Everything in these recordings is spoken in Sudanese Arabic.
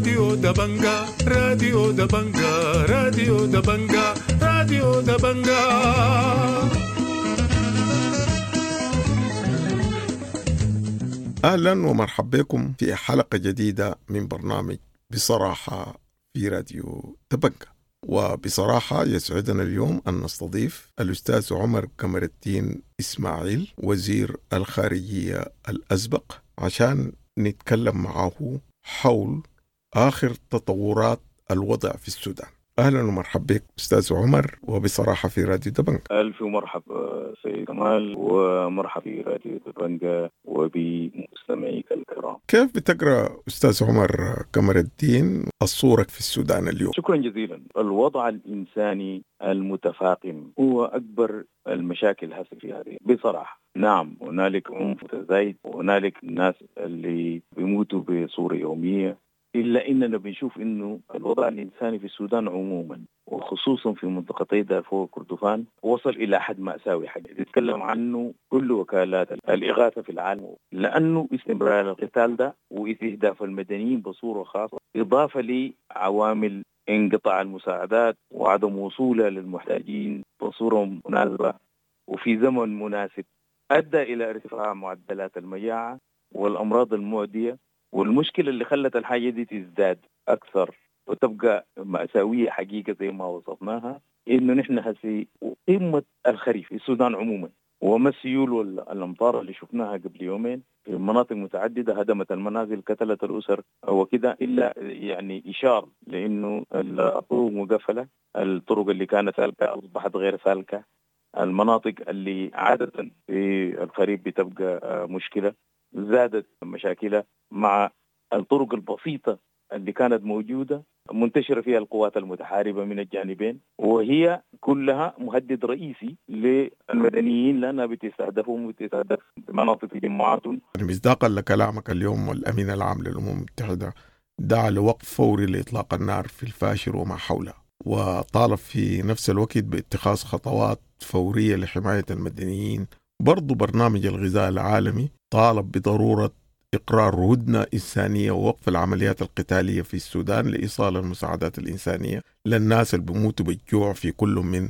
راديو دبنجا، راديو دبنجا، راديو دبنجا، راديو دبنجا. أهلا ومرحبا بكم في حلقة جديدة من برنامج بصراحة في راديو دبنجا. وبصراحة يسعدنا اليوم أن نستضيف الأستاذ عمر قمر الدين إسماعيل، وزير الخارجية الأسبق، عشان نتكلم معه حول آخر تطورات الوضع في السودان. أهلا ومرحبا بك أستاذ عمر وبصراحة في راديو دبنجا. ألف مرحبا سيد كمال، ومرحبا في راديو دبنجا وبمستمعيك الكرام. كيف بتقرأ أستاذ عمر قمر الدين الصورة في السودان اليوم؟ شكرا جزيلا. الوضع الإنساني المتفاقم هو أكبر المشاكل هسه في هذه بصراحة. نعم هنالك عنف متزايد، وهنالك ناس اللي بيموتوا بصورة يومية، إلا إننا بنشوف إنه الوضع الإنساني في السودان عموما وخصوصا في منطقتي دارفور وكردفان وصل إلى حد مأساوي، حاجة تتكلم عنه كل وكالات الإغاثة في العالم، لأنه استمرار القتال ده واستهداف المدنيين بصورة خاصة، إضافة لعوامل انقطاع المساعدات وعدم وصولها للمحتاجين بصورة مناسبة وفي زمن مناسب، أدى إلى ارتفاع معدلات المجاعة والأمراض المعدية. والمشكلة اللي خلت الحاجة دي تزداد أكثر وتبقى مأساوية حقيقة زي ما وصفناها، إنه نحن هسي قمة الخريف في السودان عموما، وما السيول والأمطار اللي شفناها قبل يومين في مناطق متعددة هدمت المنازل، قتلت الأسر وكده، إلا يعني إشارة لأنه الطرق مقفلة، الطرق اللي كانت سالكة أصبحت غير سالكة، المناطق اللي عادة في الخريف بتبقى مشكلة زادت مشاكلها مع الطرق البسيطة اللي كانت موجودة منتشرة فيها القوات المتحاربة من الجانبين، وهي كلها مهدد رئيسي للمدنيين لأنها بتستهدفهم وبتستهدف مناطق تجمعاتهم. مصداقا لكلامك اليوم، والأمين العام للأمم المتحدة دعا لوقف فوري لإطلاق النار في الفاشر وما حوله، وطالب في نفس الوقت باتخاذ خطوات فورية لحماية المدنيين. برضو برنامج الغذاء العالمي طالب بضرورة إقرار هدنة إنسانية ووقف العمليات القتالية في السودان لإيصال المساعدات الإنسانية للناس اللي بيموتوا بالجوع في كل من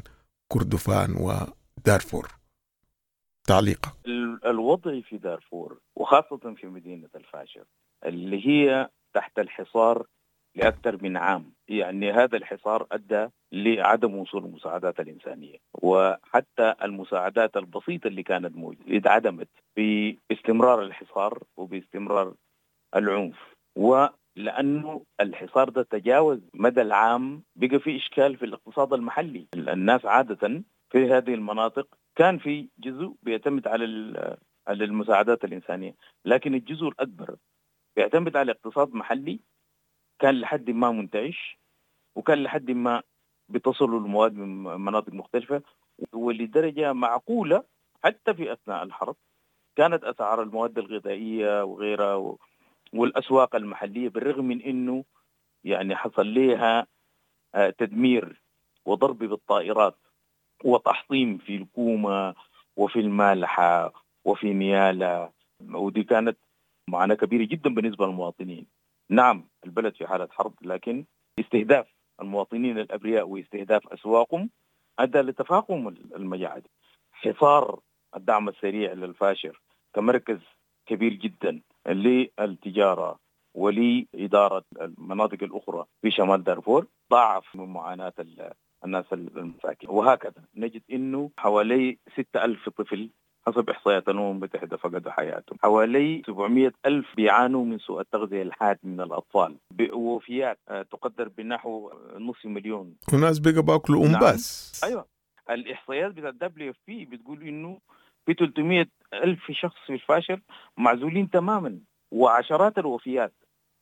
كردفان ودارفور. تعليقا. الوضع في دارفور وخاصة في مدينة الفاشر اللي هي تحت الحصار لأكثر من عام، يعني هذا الحصار أدى لعدم وصول المساعدات الإنسانية، وحتى المساعدات البسيطة اللي كانت موجودة اتعدمت باستمرار الحصار وباستمرار العنف. ولأنه الحصار ده تجاوز مدى العام، بقى في إشكال في الاقتصاد المحلي. الناس عادة في هذه المناطق كان في جزء بيعتمد على المساعدات الإنسانية، لكن الجزء الأكبر بيعتمد على اقتصاد محلي كان لحد ما منتعش، وكان لحد ما بتصلوا المواد من مناطق مختلفة، ولدرجة معقولة حتى في أثناء الحرب كانت أسعار المواد الغذائية وغيرها والأسواق المحلية، بالرغم من أنه يعني حصل لها تدمير وضرب بالطائرات وتحطيم في الكومة وفي المالحة وفي نيالا، ودي كانت معاناة كبيرة جدا بالنسبة للمواطنين. نعم البلد في حالة حرب، لكن استهداف المواطنين الأبرياء واستهداف أسواقهم أدى لتفاقم المجاعة. حصار الدعم السريع للفاشر كمركز كبير جدا للتجارة ولإدارة المناطق الأخرى في شمال دارفور ضاعف من معاناة الناس المساكين. وهكذا نجد أنه حوالي 6,000 طفل حسب إحصائيات الأمم المتحدة فقدوا حياتهم، حوالي 700,000 بيعانوا من سوء التغذية الحاد من الأطفال، بوفيات تقدر بنحو 500,000. وناس بقى باكلوا أمباس. نعم. أيوة، الإحصائيات بتاع WFP بتقول إنه في 300,000 شخص في الفاشر معزولين تماما وعشرات الوفيات.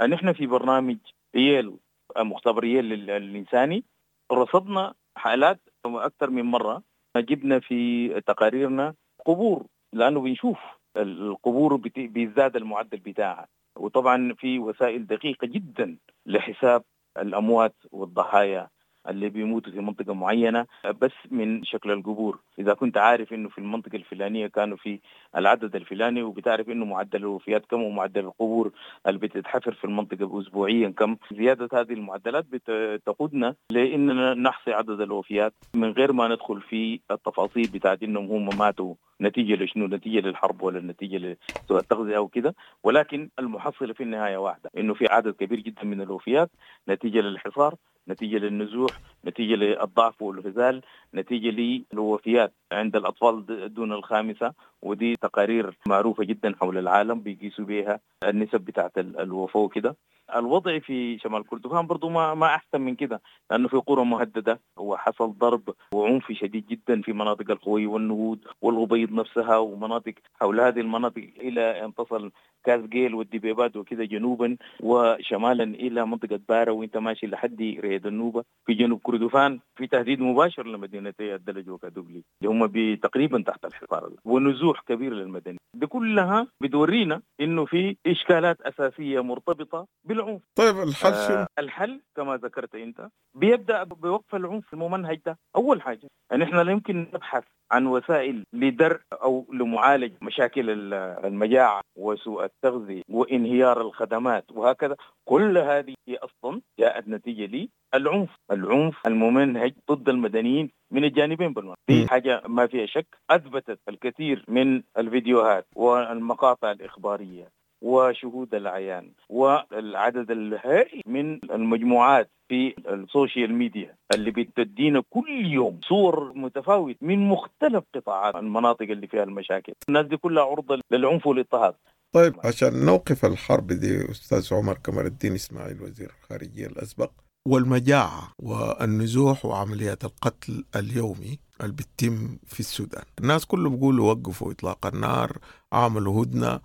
نحن في برنامج ييل، مختبر ييل الإنساني، رصدنا حالات أكثر من مرة، جبنا في تقاريرنا قبور، لأنه بنشوف القبور بيزداد المعدل بتاعها، وطبعا في وسائل دقيقة جدا لحساب الأموات والضحايا اللي بيموتوا في منطقة معينة بس من شكل القبور. إذا كنت عارف إنه في المنطقة الفلانية كانوا في العدد الفلاني، وبتعرف إنه معدل الوفيات كم ومعدل القبور اللي بتتحفر في المنطقة أسبوعيا كم، زيادة هذه المعدلات بتقودنا لإننا نحصي عدد الوفيات من غير ما ندخل في التفاصيل بتاعت إنهم هم ماتوا نتيجة لشنو، نتيجة للحرب ولا نتيجة لسوء التغذية أو كده، ولكن المحصلة في النهاية واحدة، إنه في عدد كبير جدا من الوفيات نتيجة للحصار، نتيجة للنزوح، نتيجة للضعف والهزال، نتيجة للوفيات عند الأطفال دون الخامسة، ودي تقارير معروفة جدا حول العالم بيقيسوا بها النسب بتاعت الوفاة وكده. الوضع في شمال كردفان برضو ما أحسن من كده، لأنه في قرى مهددة وحصل ضرب وعنف شديد جدا في مناطق الخوي والنهود والغبيض نفسها ومناطق حول هذه المناطق إلى أن تصل كازجيل والدبيبات وكده جنوبا وشمالا إلى منطقة بارة، وانت ماشي لحد ريد النوبة في جنوب كردفان في تهديد مباشر لمدينتي الدلج وكادوغلي اللي هم تقريبا تحت الحصار، ونزوح كبير للمدني. دي كلها بتورينا إنه في إشكالات أساسية مرتبطة بالعنف. طيب الحل شنو؟ الحل كما ذكرت أنت بيبدأ بوقف العنف الممنهج ده. أول حاجة أن إحنا لا يمكن نبحث عن وسائل لدرء أو لمعالج مشاكل المجاعة وسوء التغذية وانهيار الخدمات وهكذا، كل هذه أصلا جاءت نتيجة للعنف، العنف الممنهج ضد المدنيين من الجانبين بالمرة. دي حاجة ما فيها شك، أثبتت الكثير من الفيديوهات والمقاطع الإخبارية وشهود العيان والعدد الهائل من المجموعات في ال social media اللي بتدينا كل يوم صور متفاوتة من مختلف قطاعات المناطق اللي فيها المشاكل. الناس دي كلها عرضة للعنف والاضطهاد. طيب عشان نوقف الحرب دي أستاذ عمر قمر الدين إسماعيل وزير الخارجية الأسبق، والمجاعة والنزوح وعمليات القتل اليومي اللي بتتم في السودان، الناس كله بيقولوا وقفوا إطلاق النار، عملوا هدنة،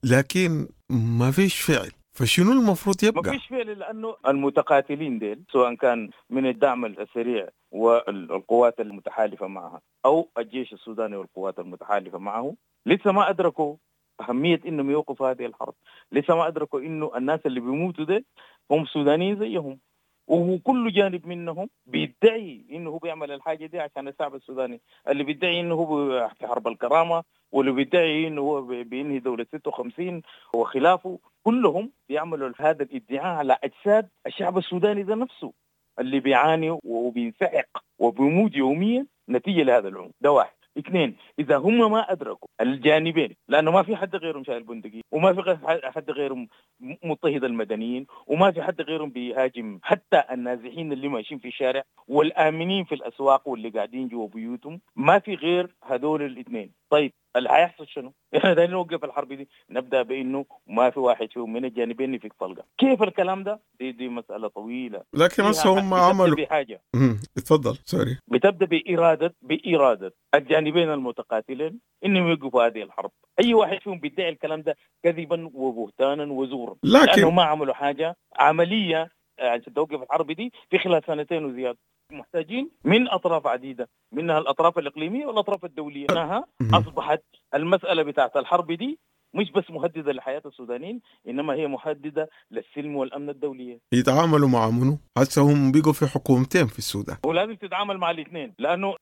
لكن ما فيش فعل. فشنو المفروض يبقى؟ ما فيش فعل لأنه المتقاتلين ديل سواء كان من الدعم السريع والقوات المتحالفة معها أو الجيش السوداني والقوات المتحالفة معه لسه ما أدركوا أهمية إنهم يوقفوا هذه الحرب، لسه ما أدركوا إنه الناس اللي بيموتوا ديل هم سودانيين زيهم، وكل جانب منهم بيدعي إنه هو بيعمل الحاجة دي عشان الشعب السوداني، اللي بيدعي إنه هو في حرب الكرامة، واللي بيدعي إنه هو بينهي دولة 56 وخلافه، كلهم بيعملوا هذا الادعاء على أجساد الشعب السوداني ده نفسه اللي بيعاني وبينسحق وبيموت يوميا نتيجة لهذا العنف. ده واحد. اثنين، إذا هم ما أدركوا الجانبين، لأنه ما في حد غيرهم شايل بندقية، وما في حد غيرهم مضطهد المدنيين، وما في حد غيرهم بيهاجم حتى النازحين اللي ماشيين في الشارع والآمنين في الأسواق واللي قاعدين جوا بيوتهم، ما في غير هذول الاثنين. طيب اللي هيحصل شنو؟ احنا دايرين نوقف الحرب دي، نبدا بانه ما في واحد فيهم من الجانبين يفك طلقه. كيف الكلام ده؟ دي مسالة طويلة. لكن بس هم عملوا بحاجة. اتفضل سوري. بتبدا باراده الجانبين المتقاتلين انهم يوقفوا هذه الحرب. اي واحد فيهم بيدعي الكلام ده كذبا وبهتانا وزورا، لكن لانه ما عملوا حاجة عملية عشان توقف الحرب دي في خلال سنتين وزيادة. محتاجين من أطراف عديدة، منها الأطراف الإقليمية والأطراف الدولية. أنها أصبحت المسألة بتاعت الحرب دي مش بس مهددة لحياة السودانيين، إنما هي مهددة للسلم والأمن الدولية. يتعاملوا مع منو؟ هسه هم بيقوا في حكومتين في السودان، ولازم تتعامل مع الاثنين، لأنه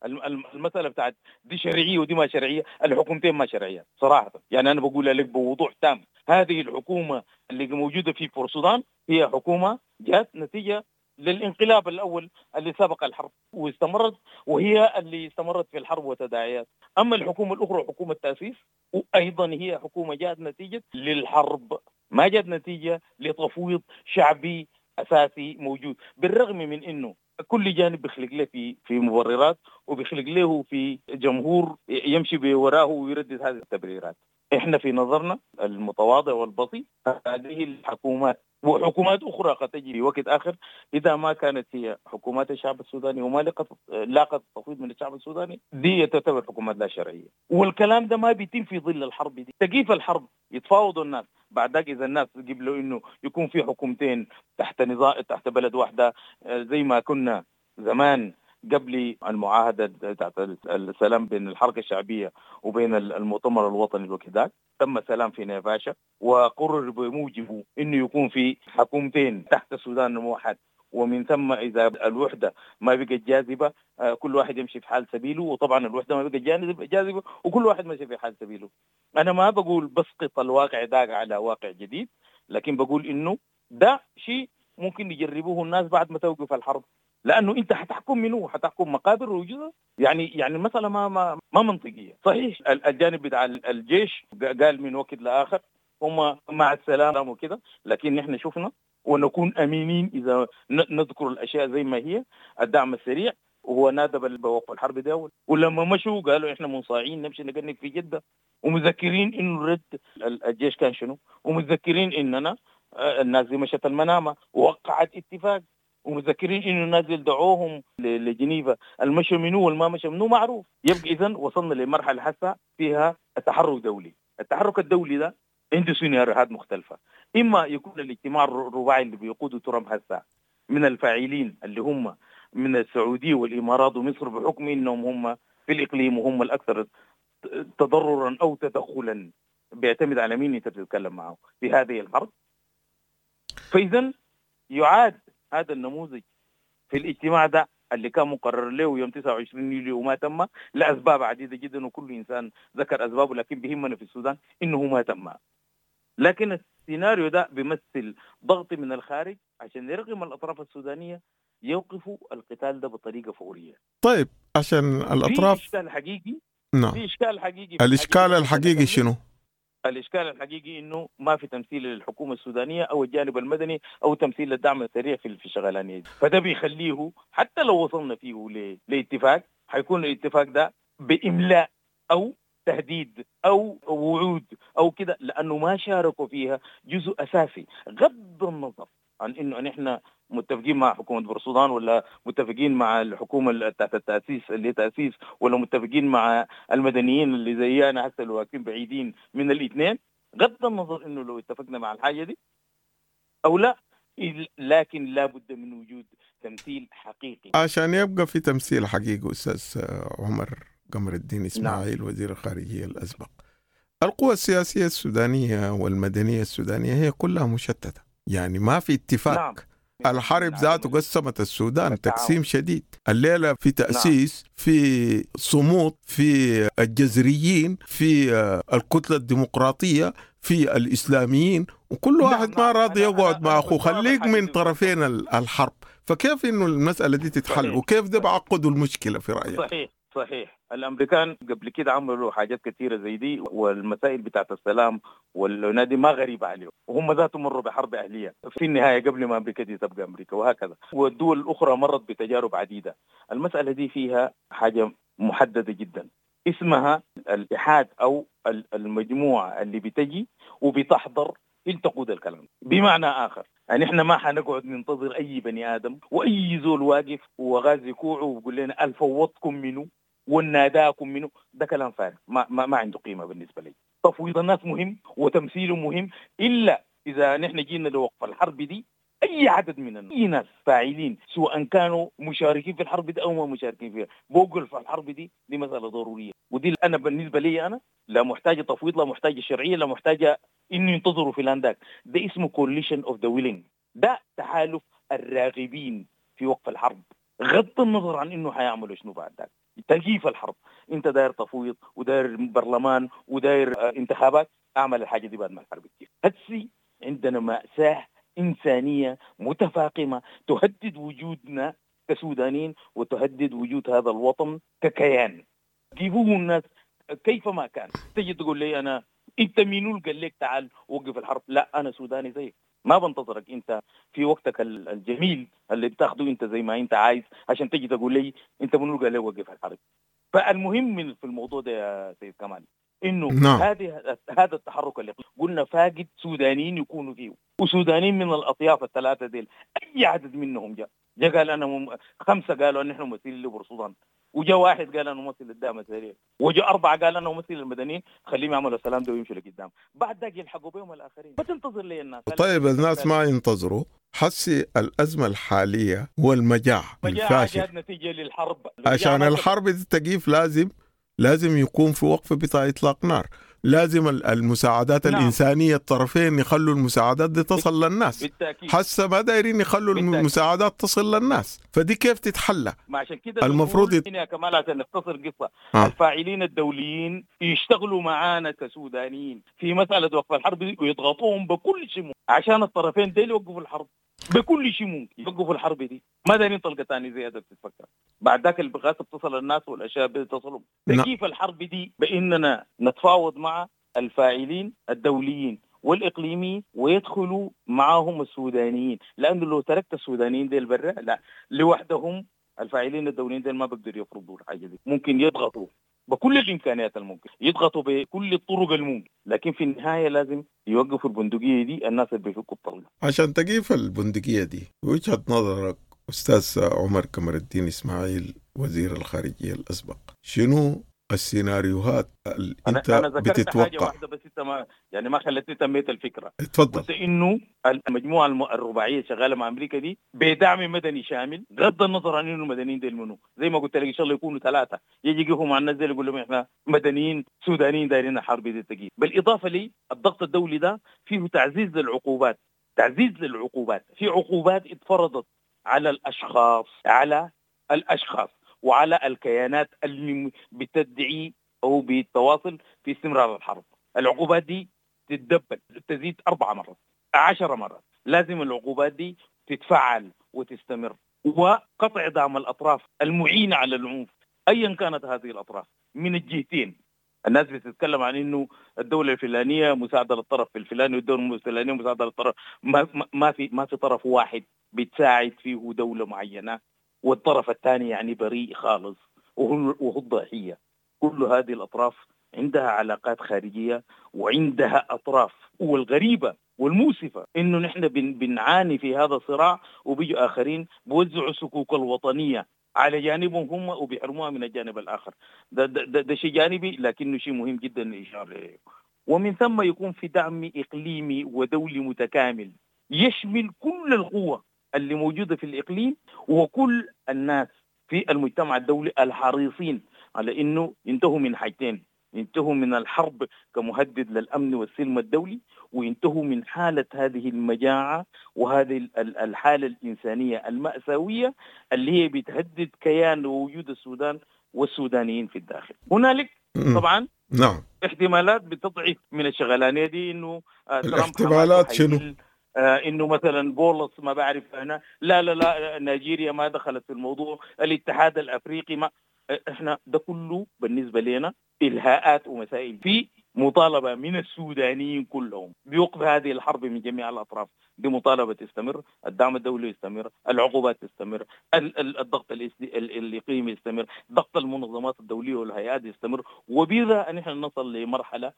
المسألة بتاعت دي شرعية ودي ما شرعية، الحكومتين ما شرعية صراحة. يعني أنا بقول لك بوضوح تام، هذه الحكومة اللي موجودة في السودان هي حكومة جات نتيجة للانقلاب الأول اللي سبق الحرب واستمرت، وهي اللي استمرت في الحرب وتداعيات. أما الحكومة الأخرى حكومة التأسيس، وأيضا هي حكومة جاءت نتيجة للحرب، ما جاءت نتيجة لتفويض شعبي أساسي موجود، بالرغم من أنه كل جانب بيخلق له في مبررات، وبيخلق له في جمهور يمشي بوراه ويردد هذه التبريرات. إحنا في نظرنا المتواضع والبسيط هذه الحكومات وحكومات أخرى قد تجي في وقت آخر إذا ما كانت هي حكومات الشعب السوداني وما لاقت التفويض من الشعب السوداني، دي تعتبر حكومات لا شرعية. والكلام ده ما بيتم في ظل الحرب دي. تقيف الحرب يتفاوضوا الناس، بعد ذاك إذا الناس قبلوا إنه يكون في حكومتين تحت نظام تحت بلد واحدة زي ما كنا زمان قبل المعاهدة بتاعت السلام بين الحركة الشعبية وبين المؤتمر الوطني الوقت ذاك، تم سلام في نيفاشا وقرر بموجبه انه يكون في حكومتين تحت السودان الموحد، ومن ثم اذا الوحدة ما بقت جاذبة كل واحد يمشي في حال سبيله، وطبعا الوحدة ما بقت جاذبة وكل واحد مشي في حال سبيله. انا ما بقول بسقط الواقع ده على واقع جديد، لكن بقول انه ده شيء ممكن يجربوه الناس بعد ما توقف الحرب، لانه انت حتحكم منه، حتحكم مقابر وجزء، يعني المسالة ما منطقية. صحيح الجانب بتاع الجيش قال من وقت لاخر هم مع السلام وكده، لكن نحن شفنا ونكون امينين اذا نذكر الاشياء زي ما هي. الدعم السريع وهو نادى بوقف الحرب ده، ولما مشوا قالوا احنا منصاعين نمشي نقنق في جده، ومذكرين انه رد الجيش كان شنو، ومذكرين اننا الناس دي مشت المنامة ووقعت اتفاق، ومذكرين انه الناس اللي دعوهم لجنيفا المشوا منو والما مشى منو معروف. يبقى اذا وصلنا لمرحلة هسه فيها التحرك دولي. التحرك الدولي ده عنده سيناريوهات مختلفة، اما يكون الاجتماع الرباعي اللي بيقوده ترامب هسه من الفاعلين اللي هم من السعودية والامارات ومصر بحكم انهم هم في الاقليم وهم الاكثر تضررا او تدخلا، بيعتمد على مين انت بتتكلم معه في هذه الحرب. فاذا يعاد هذا النموذج في الاجتماع ده اللي كان مقرر له يوم 29 يوليو وما تم لاسباب عديدة جدا، وكل انسان ذكر اسبابه، لكن بهمنا في السودان انه ما تم. لكن السيناريو ده بيمثل ضغط من الخارج عشان يرغم الاطراف السودانية يوقفوا القتال ده بطريقة فورية. طيب عشان الاطراف في اشكال حقيقي. نعم، في اشكال حقيقي. الاشكال الحقيقي شنو؟ الإشكال الحقيقي إنه ما في تمثيل للحكومة السودانية أو الجانب المدني أو تمثيل للدعم السريع في الشغلانية دي. فده بيخليه حتى لو وصلنا فيه لاتفاق، حيكون الاتفاق ده بإملاء أو تهديد أو وعود أو كده، لأنه ما شاركوا فيها جزء أساسي. غض النظر عن إنه نحن متفقين مع حكومة بورسودان ولا متفقين مع الحكومة تحت التأسيس اللي تأسيس، ولا متفقين مع المدنيين اللي زي أنا هسه اللي واقفين بعيدين من الاثنين، غض النظر إنه لو اتفقنا مع الحاجة دي أو لا، لكن لا بد من وجود تمثيل حقيقي. عشان يبقى في تمثيل حقيقي أستاذ عمر قمر الدين إسماعيل. نعم. وزير الخارجية الأسبق، القوى السياسية السودانية والمدنية السودانية هي كلها مشتتة، يعني ما في اتفاق. نعم. الحرب ذاته قسمت السودان تقسيم شديد. الليلة في تأسيس، في صمود، في الجزريين، في الكتلة الديمقراطية، في الإسلاميين، وكل واحد ما راضي يقعد مع أخوه. خليك من طرفين الحرب، فكيف إنه المسألة دي تتحل؟ وكيف ده بعقدوا المشكلة في رأيك؟ صحيح صحيح. الأمريكان قبل كده عملوا حاجات كثيرة زي دي، والمسائل بتاعت السلام والنادي ما غريبة عليهم، وهم ذاتهم مروا بحرب أهلية في النهاية قبل ما أمريكا دي تبقى أمريكا، وهكذا. والدول الأخرى مرت بتجارب عديدة. المسألة دي فيها حاجة محددة جدا اسمها الاتحاد أو المجموعة اللي بتجي وبتحضر تقود الكلام. بمعنى آخر يعني احنا ما حنقعد ننتظر أي بني آدم وأي زول واقف وغازي كوعه ويقول لنا الفوضكم منه والناداكم منه. ده كلام فارغ، ما, ما, ما عنده قيمة بالنسبة لي. تفويض الناس مهم وتمثيله مهم، إلا إذا نحن جينا لوقف الحرب دي أي عدد من أي ناس فاعلين سواء كانوا مشاركين في الحرب دي أو ما مشاركين فيها بوقف الحرب دي، دي مسألة ضرورية. ودي أنا بالنسبة لي أنا لا محتاجة تفويض، لا محتاجة شرعية، لا محتاجة إنه ينتظروا فلان ذاك. ده اسمه coalition of the willing، ده تحالف الراغبين في وقف الحرب، غض النظر عن إنه حيعملوا شنو بعد ذاك. تكييف الحرب، انت داير تفويض وداير برلمان وداير انتخابات، اعمل الحاجة دي بعد ما الحرب تكيف. هسي عندنا مأساة انسانيه متفاقمه تهدد وجودنا كسودانيين وتهدد وجود هذا الوطن ككيان. جيبوه الناس كيفما كان. تجي تقول لي انا انت مين قال لك تعال وقف الحرب؟ لا، انا سوداني زيك، ما بنتظرك انت في وقتك الجميل اللي بتاخده انت زي ما انت عايز عشان تجي تقول لي انت منو قال لي وقف الحرب. فالمهم في الموضوع ده يا سيد كمال انه نعم. هذا التحرك اللي قلنا فاقد سودانيين يكونوا فيه، وسودانيين من الاطياف الثلاثة ديل اي عدد منهم جاء قال انا خمسة قالوا ان احنا ممثلين لبورسودان، وجا واحد قال انا ممثل للدعم السريع، وجا اربعة قال انا ممثل للمدنيين، خليهم يعملوا السلام ده ويمشوا لقدام، بعد ذاك يلحقوا بهم الاخرين. ما تنتظر لي الناس. طيب الناس ما ينتظروا. حسي الازمة الحالية والمجاعه الفاشل نتيجة للحرب. عشان الحرب دي تقيف لازم يكون في وقف بتاع اطلاق نار. لازم المساعدات الإنسانية، الطرفين يخلوا المساعدات دي تصل للناس. بالتأكيد. حسه ما دايرين يخلوا المساعدات تصل للناس، فدي كيف تتحلى؟ ما عشان كده المفروض يا كمال عشان نختصر قصة الفاعلين الدوليين يشتغلوا معانا كسودانيين في مسألة وقف الحرب ويضغطوهم بكل شيء عشان الطرفين ديل يوقفوا الحرب بكل شيء ممكن يوقفوا الحرب دي. ما دايرين طلقة ثانية زيادة بتتفكر بعد ذاك البغاثة بتصل الناس والأشياء بتصلهم. تكييف الحرب دي بإننا نتفاوض مع الفاعلين الدوليين والإقليميين ويدخلوا معاهم السودانيين، لأنه لو تركت السودانيين ديل برا لا لوحدهم الفاعلين الدوليين ديل ما بيقدروا يفرضوا الحاجة دي. ممكن يضغطوا بكل الإمكانيات الممكن، يضغطوا بكل الطرق الممكن، لكن في النهاية لازم يوقفوا البندقية دي، الناس اللي بيفكوا الطلقة. عشان تقيف البندقية دي، وجهة نظرك أستاذ عمر قمر الدين إسماعيل وزير الخارجية الأسبق، شنو السيناريوهات اللي أنت أنا ذكرت بتتوقع؟ حاجة واحدة بس أنت ما يعني ما خلتني تميت الفكرة. اتفضل. قلت إنه المجموعة الرباعية شغالة مع أمريكا دي بدعم مدني شامل، بغض النظر عن إنه المدنيين ديل منو، زي ما قلت لك إن شاء الله يكونوا 3 يجي يقفوا مع الناس ديل يقول لهم إحنا مدنيين سودانيين دايرين الحرب دي تجي. بالإضافة لي الضغط الدولي ده فيه تعزيز للعقوبات، تعزيز للعقوبات، في عقوبات اتفرضت على الأشخاص، على الأشخاص وعلى الكيانات اللي بتدعي أو بتواصل في استمرار الحرب. العقوبات دي تتدبل، تزيد 4 مرات، 10 مرات. لازم العقوبات دي تتفعل وتستمر، وقطع دعم الأطراف المعينة على العنف أيا كانت هذه الأطراف من الجهتين. الناس بتتكلم عن إنه الدولة الفلانية مساعدة للطرف الفلاني والدولة الفلانية مساعدة للطرف، ما في طرف واحد بتساعد فيه دولة معينة والطرف الثاني يعني بريء خالص وهو الضحية. كل هذه الأطراف عندها علاقات خارجية وعندها أطراف. والغريبة والمؤسفة إنه نحن بنعاني في هذا الصراع، وبيجوا آخرين بوزعوا الصكوك الوطنية على جانبهم هم وبيحرموها من الجانب الآخر. ده, ده, ده, ده شيء جانبي لكنه شيء مهم جدا للإشارة إليه. ومن ثم يكون في دعم إقليمي ودولي متكامل يشمل كل القوة اللي موجودة في الإقليم وكل الناس في المجتمع الدولي الحريصين على إنه ينتهوا من حاجتين: ينتهوا من الحرب كمهدد للأمن والسلم الدولي، وينتهوا من حالة هذه المجاعة وهذه الحالة الإنسانية المأساوية اللي هي بتهدد كيان ووجود السودان والسودانيين في الداخل. هنالك طبعا نعم احتمالات بتضعف من الشغلانية دي، إنه الاحتمالات شنو؟ انه مثلا بولس ما بعرف انا، لا لا لا نيجيريا ما دخلت في الموضوع، الاتحاد الافريقي ما، احنا ده كله بالنسبه لنا الهاءات ومسائل. في مطالبه من السودانيين كلهم بوقف هذه الحرب من جميع الاطراف، دي مطالبه تستمر، الدعم الدولي يستمر، العقوبات تستمر، الضغط الاقليمي يستمر، ضغط المنظمات الدوليه والهيئات يستمر، وبذا نحن نصل لمرحله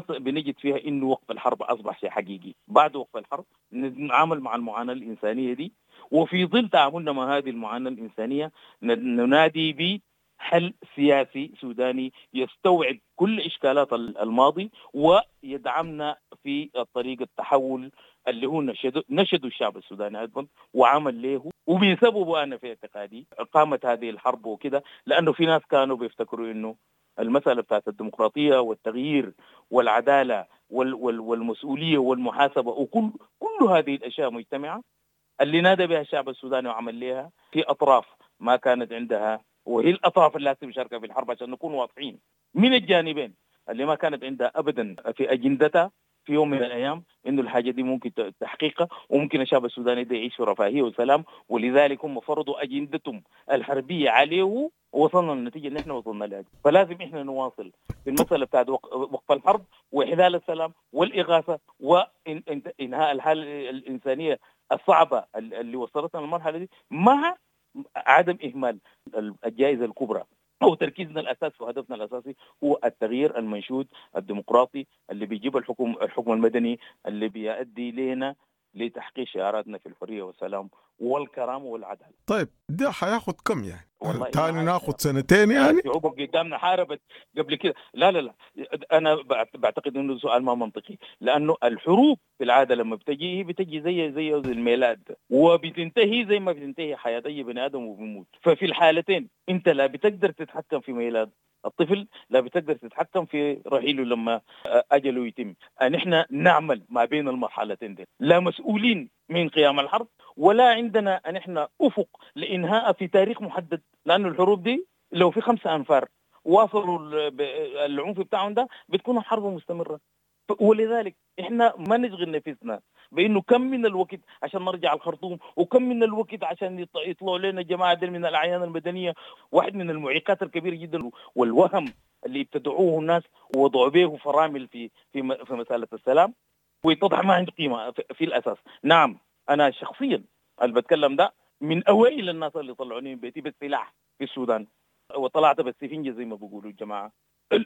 بنجد فيها انه وقف الحرب اصبح شيء حقيقي. بعد وقف الحرب نتعامل مع المعاناه الانسانيه دي، وفي ظل تعاملنا مع هذه المعاناه الانسانيه ننادي بحل سياسي سوداني يستوعب كل اشكالات الماضي ويدعمنا في طريق التحول اللي هو نشدوا الشعب السوداني ايضا وعمل له، وبسببه انا في اعتقادي قامت هذه الحرب وكده، لانه في ناس كانوا بيفتكروا انه المسألة بتاعت الديمقراطية والتغيير والعدالة والمسؤولية والمحاسبة وكل كل هذه الأشياء مجتمعة اللي نادى بها الشعب السوداني وعمل لها في أطراف ما كانت عندها، وهي الأطراف اللي مشاركة في الحرب عشان نكون واضحين من الجانبين، اللي ما كانت عندها أبدا في أجندتها في يوم من الأيام إنه الحاجة دي ممكن تحقيقها وممكن الشعب السوداني ده يعيش في رفاهية وسلام، ولذلك هم فرضوا أجندتهم الحربية عليه ووصلنا للنتيجة اللي احنا وصلنا لها. فلازم احنا نواصل في المسألة بتاعت وقف الحرب وإحلال السلام والإغاثة وإنهاء الحالة الإنسانية الصعبة اللي وصلتنا للمرحلة دي، مع عدم إهمال الجائزة الكبرى أو تركيزنا الأساسي وهدفنا الأساسي هو التغيير المنشود الديمقراطي اللي بيجيب الحكم المدني اللي بيؤدي لنا لتحقيق شعاراتنا في الحرية والسلام والكرامة والعدالة. طيب ده حياخد كم يعني؟ تاني ناخد سنتين يعني؟ شعوب قدامنا حاربت قبل كده. لا لا لا، أنا بعتقد إنه سؤال ما منطقي، لأنه الحروب في العادة لما بتجي بتجي زي الميلاد، وبتنتهي زي ما بتنتهي حياة أي بني آدم وبيموت. ففي الحالتين أنت لا بتقدر تتحكم في ميلاد الطفل لا بتقدر تتحكم في رحيله لما أجله يتم. نحن نعمل ما بين المرحلتين دي، لا مسؤولين من قيام الحرب ولا عندنا نحن أفق لإنهاء في تاريخ محدد، لأن الحروب دي لو في 5 أنفار واصلوا العنف بتاعهم ده بتكون الحرب مستمرة. ولذلك احنا ما نشغل نفسنا بانه كم من الوقت عشان نرجع الخرطوم، وكم من الوقت عشان يطلعوا لنا جماعة دي من الاعيان المدنية. واحد من المعيقات الكبيرة جدا والوهم اللي ابتدعوه الناس ووضعوا به فرامل في في في مسالة السلام، ويتضح ما عنده قيمة في الاساس. نعم انا شخصيا اللي بتكلم ده من اوائل الناس اللي طلعوني من بيتي بالسلاح في السودان، وطلعت بالسفنجه زي ما بيقولوا الجماعة،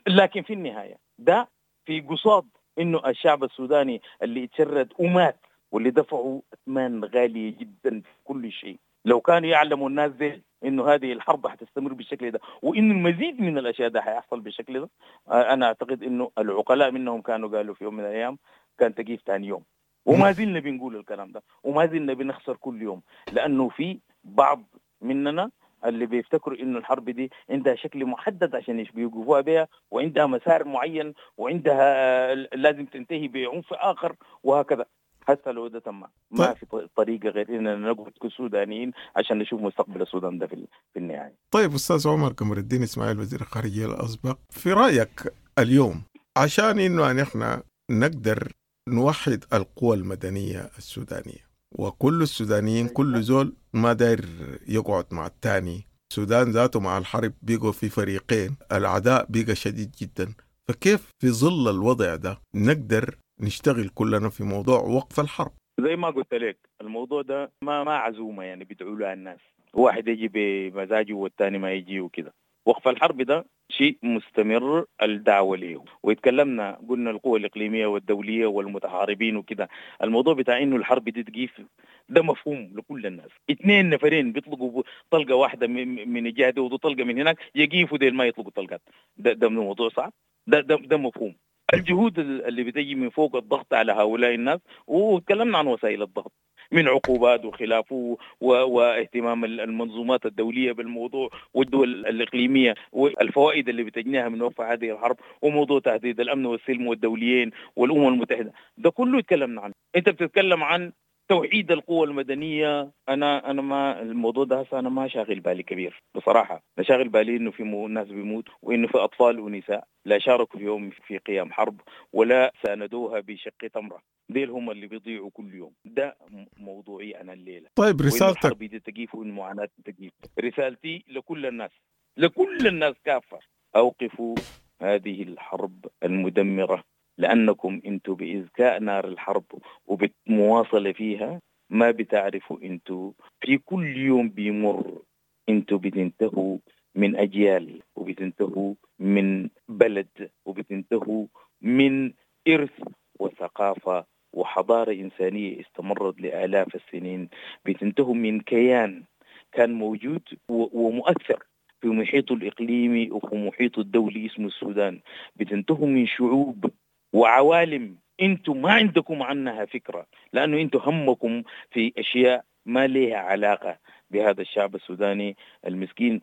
لكن في النهاية ده في قصاد انه الشعب السوداني اللي اتشرد ومات واللي دفعوا اثمان غالية جدا في كل شيء. لو كانوا يعلموا الناس دي انه هذه الحرب حتستمر بالشكل ده وانه المزيد من الاشياء ده حيحصل بالشكل ده، انا اعتقد انه العقلاء منهم كانوا قالوا في يوم من الايام كان تقيف ثاني يوم، وما زلنا بنقول الكلام ده وما زلنا بنخسر كل يوم، لانه في بعض مننا اللي بيفتكروا انه الحرب دي عندها شكل محدد عشان يوقفوها بها، وعندها مسار معين، وعندها لازم تنتهي بعنف اخر وهكذا. حتى لو ده تم ما في طريقه غير اننا نقعد كسودانيين عشان نشوف مستقبل السودان ده في النهاية. طيب استاذ عمر قمر الدين اسماعيل وزير الخارجية الاسبق، في رايك اليوم عشان انه نحن نقدر نوحد القوى المدنية السودانية وكل السودانيين كل زول ما داير يقعد مع الثاني، السودان ذاته مع الحرب بيقوا في فريقين، العداء بيقى شديد جدا، فكيف في ظل الوضع ده نقدر نشتغل كلنا في موضوع وقف الحرب؟ زي ما قلت لك الموضوع ده ما عزومة يعني بيدعوا لها الناس، واحد يجي بمزاجه والثاني ما يجي وكده. وقف الحرب ده شيء مستمر الدعوة له، ويتكلمنا قلنا القوى الإقليمية والدولية والمتحاربين وكده. الموضوع بتاع إنه الحرب دي تقيف ده مفهوم لكل الناس. 2 نفرين بيطلقوا طلقة واحدة من الجهة دي وطلقة من هناك يقيفوا، ديل ما يطلقوا طلقات، ده من موضوع صعب، ده مفهوم. الجهود اللي بتجي من فوق الضغط على هؤلاء الناس، وتكلمنا عن وسائل الضغط من عقوبات وخلافه واهتمام المنظومات الدولية بالموضوع والدول الإقليمية والفوائد اللي بتجنيها من وقف هذه الحرب، وموضوع تهديد الأمن والسلم والدوليين والأمم المتحدة، ده كله يتكلمنا عنه. أنت بتتكلم عن توحيد القوى المدنية، أنا ما الموضوع ده أنا ما شاغل بالي كبير بصراحة. أنا شاغل بالي إنه في ناس بيموت وإنه في أطفال ونساء لا شاركوا في يوم في قيام حرب ولا ساندوها بشق تمرة، ديل هم اللي بيضيعوا كل يوم. ده موضوعي أنا الليلة. طيب رسالتك الحرب دي تقيف وإن معاناة تقيف. رسالتي لكل الناس، لكل الناس كافة، أوقفوا هذه الحرب المدمرة، لأنكم أنتوا بإذكاء نار الحرب وبالمواصلة فيها ما بتعرفوا أنتوا في كل يوم بيمر أنتوا بتنتهوا من أجيال، وبتنتهوا من بلد، وبتنتهوا من إرث وثقافة وحضارة إنسانية استمرت لآلاف السنين، بتنتهوا من كيان كان موجود ومؤثر في محيطه الإقليمي وفي محيطه الدولي اسمه السودان، بتنتهوا من شعوب وعوالم انتم ما عندكم عنها فكرة، لأنه انتم همكم في أشياء ما لها علاقة بهذا الشعب السوداني المسكين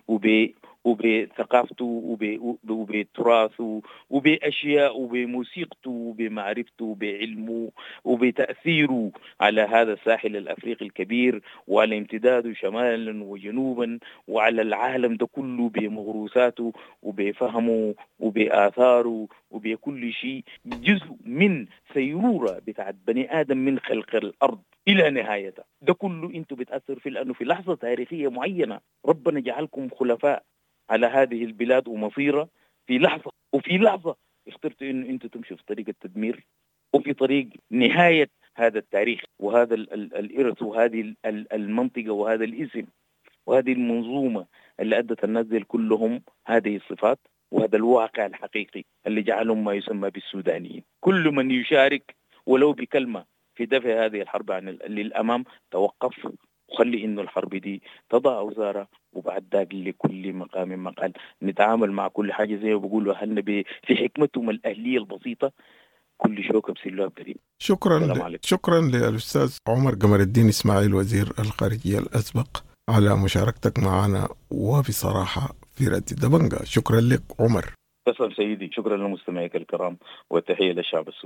وبثقافته وبتراثه وبأشياء وبموسيقته وبمعرفته وبعلمه وبتأثيره على هذا الساحل الأفريقي الكبير وعلى امتداده شمالا وجنوبا وعلى العالم ده كله بمغروساته وبفهمه وبآثاره وبكل شيء، جزء من سيرورة بتاعت بني آدم من خلق الأرض إلى نهايتها. ده كله أنتوا بتأثر فيه، لأنه في لحظة تاريخية معينة ربنا جعلكم خلفاء على هذه البلاد ومصيرة في لحظة، وفي لحظة اخترتوا إنه أنتوا تمشوا في طريق التدمير وفي طريق نهاية هذا التاريخ وهذا الإرث وهذه المنطقة وهذا الاسم وهذه المنظومة اللي أدت الناس دي كلهم هذه الصفات وهذا الواقع الحقيقي اللي جعلهم ما يسمى بالسودانيين. كل من يشارك ولو بكلمة في دفع هذه الحرب عن للأمام توقف، وخلي إنه الحرب دي تضع أوزارها، وبعد ذاك لكل مقام مقال. نتعامل مع كل حاجة زي ما بيقولوا أهلنا في حكمتهم الأهلية البسيطة، كل شوكة بسلوها بدريب. شكرا للأستاذ عمر قمر الدين إسماعيل وزير الخارجية الأسبق على مشاركتك معنا، وبصراحة في راديو دبنجا. شكرا لك عمر. تسلم سيدي، شكرا لمستمعيك الكرام والتحية للشعب السوداني.